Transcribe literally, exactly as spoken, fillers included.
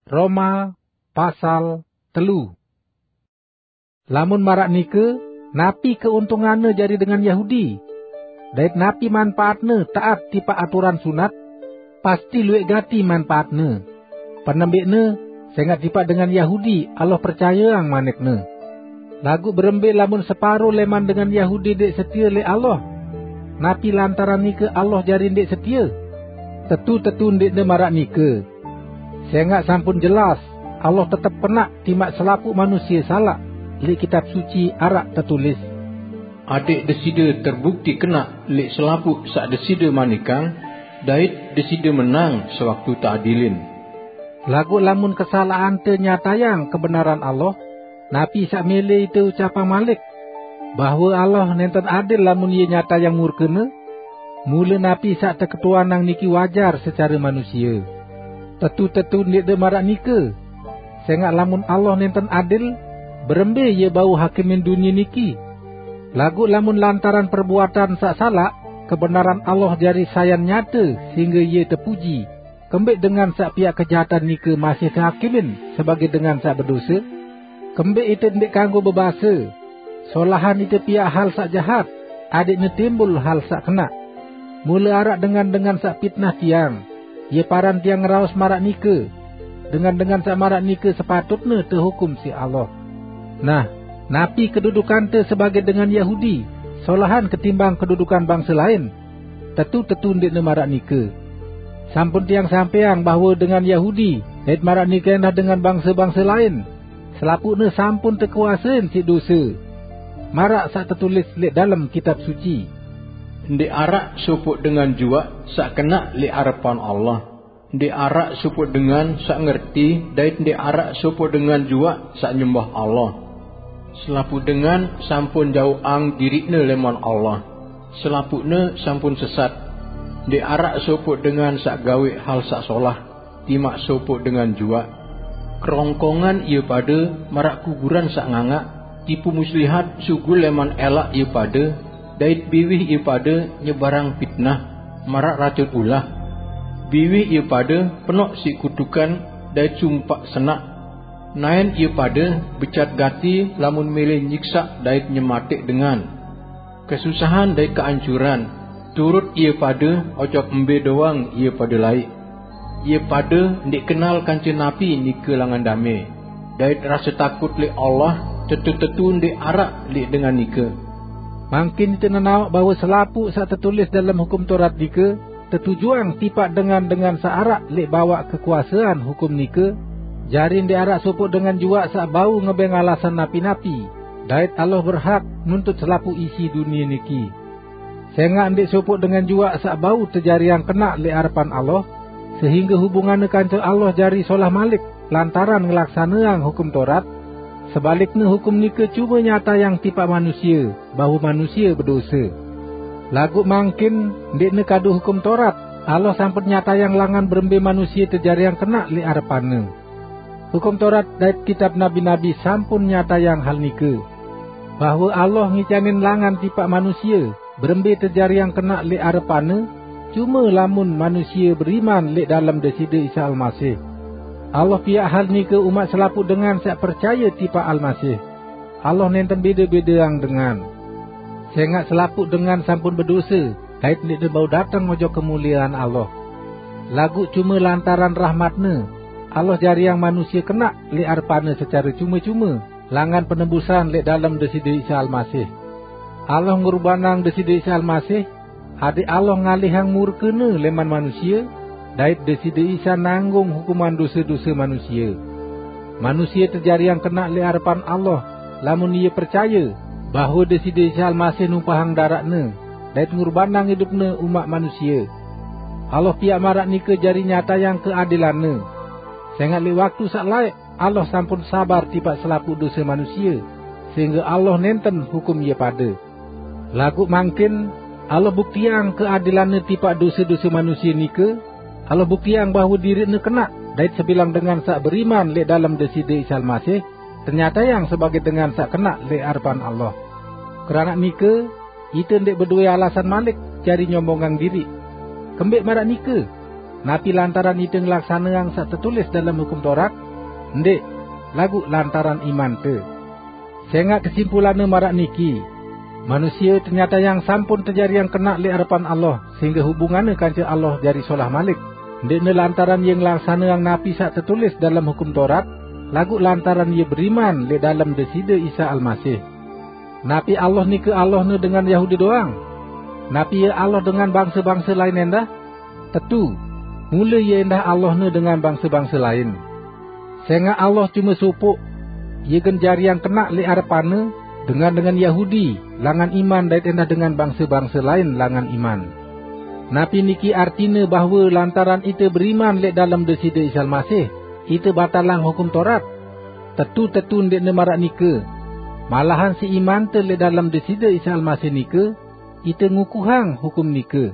Roma pasal telu. Lamun maraq nike, napi keuntunganne jari dengan Yahudi? Dait napi manpaatne taat tipaq aturan sunat? Pasti lueq gati manpaatne. Penembeqne, sengaq tipaq dengan Yahudi Allah percayeang manikne. Laguq berembe lamun separo leman dengan Yahudi ndeq setie leq Allah? Napi lantaran nike Allah jari ndeq setie? Tetu-tetu ndeqne maraq nike. Sengaq sampun jelas, Allah tetep kenaq timaq selapuq manusie salaq. Leq Kitab Suci araq tetulis, "Adeq Deside terbukti kenaq leq selapuq saq Deside manikang, dait Deside menang sewaktu teadilin." Laguq lamun kesalaqante nyatayang kebenaran Allah, napi saq mele ite ucapang malik, bahwe Allah nenten adil lamun Ie nyatayang murkene? Mule napi saq teketuanang niki wajar secare manusie. Tetu-tetu ndeqne maraq nike. Sengaq lamun Allah nenten adil, berembe Ie bau hakimin dunie niki? Laguq lamun lantaran perbuatan saq salaq, kebenaran Allah jari sayan nyate sehingge Ie tepuji, kembeq dengan saq piaq kejahatan nike masih tehakimin sebagaq dengan saq bedose? Kembeq ite ndeq kanggo bebase, "Solahan ite piaq hal saq jahat, adeqne timbul hal saq kenaq"? Mule araq dengan-dengan saq pitnah tiang, ie paran tiang ngeraos maraq nike. Dengan-dengan saq maraq nike sepatutne tehukum siq Allah. Nah, napi kedudukante sebagaq dengan Yahudi, solahan ketimbang kedudukan bangse lain? Tetu-tetu ndeqne maraq nike. Sampun tiang sampeang bahwe dengan Yahudi, dait maraq nike endah dengan bangse-bangse lain, selapuqne sampun tekuasein siq dose, maraq saq tetulis leq dalem Kitab Suci, "Ndeq araq sopoq dengan juaq saq kenaq leq arepan Allah. Ndeq araq sopoq dengan saq ngerti, dait ndeq araq sopoq dengan juaq saq nyembah Allah. Selapuq dengan sampun jauqang diriqne leman Allah. Selapuqne sampun sesat. Ndeq araq sopoq dengan saq gaweq hal saq solah timaq sopoq dengan juaq. Kerongkongan ie pade maraq kuburan saq ngangaq, tipu muslihat sugul leman elaq ie pade, dait biwih ie pade nyebarang pitnah maraq racun ulah. Biwih ie pade penoq siq kutukan dait sumpaq senaq. Naen ie pade becat gati lamun mele nyiksaq dait nyemateq dengan. Kesusahan dait keancuran turut ie pade ojok mbe doang ie pade laiq. Ie pade ndeq kenal kance napi nike langan dame, dait rase takut leq Allah tetu-tetu ndeq araq leq dengan nike." Mangkin ite nenaoq bahwe selapuq saq tetulis dalem Hukum Torat nike tetujuang tipaq dengan-dengan saq araq leq bawaq kekuasean hukum nike, jari ndeq araq sopoq dengan juaq saq bau ngebeng alasan napi-napi, dait Allah berhak nuntut selapuq isi dunie niki. Sengaq ndeq sopoq dengan juaq saq bau tejariang kenaq leq arepan Allah, sehingge hubunganne kance Allah jari solah malik lantaran ngelaksaneang Hukum Torat. Sebalikne, hukum nike cume nyatayang tipaq manusie bahwe manusie bedose. Laguq mangkin, ndeqne kadu Hukum Torat, Allah sampun nyatayang langan berembe manusie tejariang kenaq leq arepan-Ne. Hukum Torat dait kitab nabi-nabi sampun nyatayang hal nike, bahwe Allah ngicanin langan tipaq manusie berembe tejariang kenaq leq arepan-Ne, cume lamun manusie beriman leq dalem Deside Isa Almasih. Allah piaq hal nike umaq selapuq dengan saq percaye tipaq Almasih. Allah nenten bede-bedeang dengan. Sengaq selapuq dengan sampun bedose, dait ndeqne bau dateng ojok kemuliean Allah. Laguq cume lantaran rahmat-Ne, Allah jariang manusie kenaq leq arepan-Ne secare cume-cume, langan penebusan leq dalem Deside Isa Almasih. Allah ngurbanang Deside Isa Almasih, adeq Allah ngalihang murke-Ne leman manusie, dait Deside Isa nanggung hukuman dose-dose manusie. Manusie tejariang kenaq leq arepan Allah, lamun ie percaye bahwe Deside Isa Almasih numpahang daraq-Ne dait ngurbanang idup-Ne umaq manusie. Allah piaq maraq nike jari nyatayang keadilan-Ne. Sengaq leq waktu saq laeq Allah sampun sabar tipaq selapuq dose manusie, sehingge Allah nenten hukum ie pade. Laguq mangkin, Allah buktiang keadilan-Ne tipaq dose-dose manusie nike. Allah buktiang bahwe diriq-Ne kenaq, dait sebilang dengan saq beriman leq dalem Deside Isa Almasih, tenyatayang sebagaq dengan saq kenaq leq arepan Allah. Keranaq nike, ite ndeq bedowe alasan malik jari nyombongang diriq. Kembeq maraq nike? Napi lantaran ite nglaksaneang saq tetulis dalem Hukum Taurat? Ndeq, laguq lantaran imante. Sẽngaq kesimpulanne maraq niki: Manusie tenyatayang sampun tejariang kenaq lẽq arepan Allah, sehingge hubunganne kance Allah jari solah malik, ndeqne lantaran ie ngelaksaneang napi saq tetulis dalem Hukum Taurat, laguq lantaran ie beriman lẽq dalem Deside Isa Almasih. Napi Allah nike Allahne dengan Yahudi doang? Napi Ie Allah dengan bangse-bangse lain ẽndah? Tetu, mule Ie ẽndah Allahne dengan bangse-bangse lain. Sẽngaq Allah cume sopoq, Ie gen jariang kenaq lẽq arepan-Ne dengan-dengan Yahudi langan iman dait ẽndah dengan bangse-bangse lain langan iman. Napi niki artine bahwe lantaran ite beriman lẽq dalem Deside Isa Almasih, ite batalang Hukum Taurat? Tetu-tetu ndeqne maraq nike! Malahan siq imante lẽq dalem Deside Isa Almasih nike, ite ngukuhang hukum nike.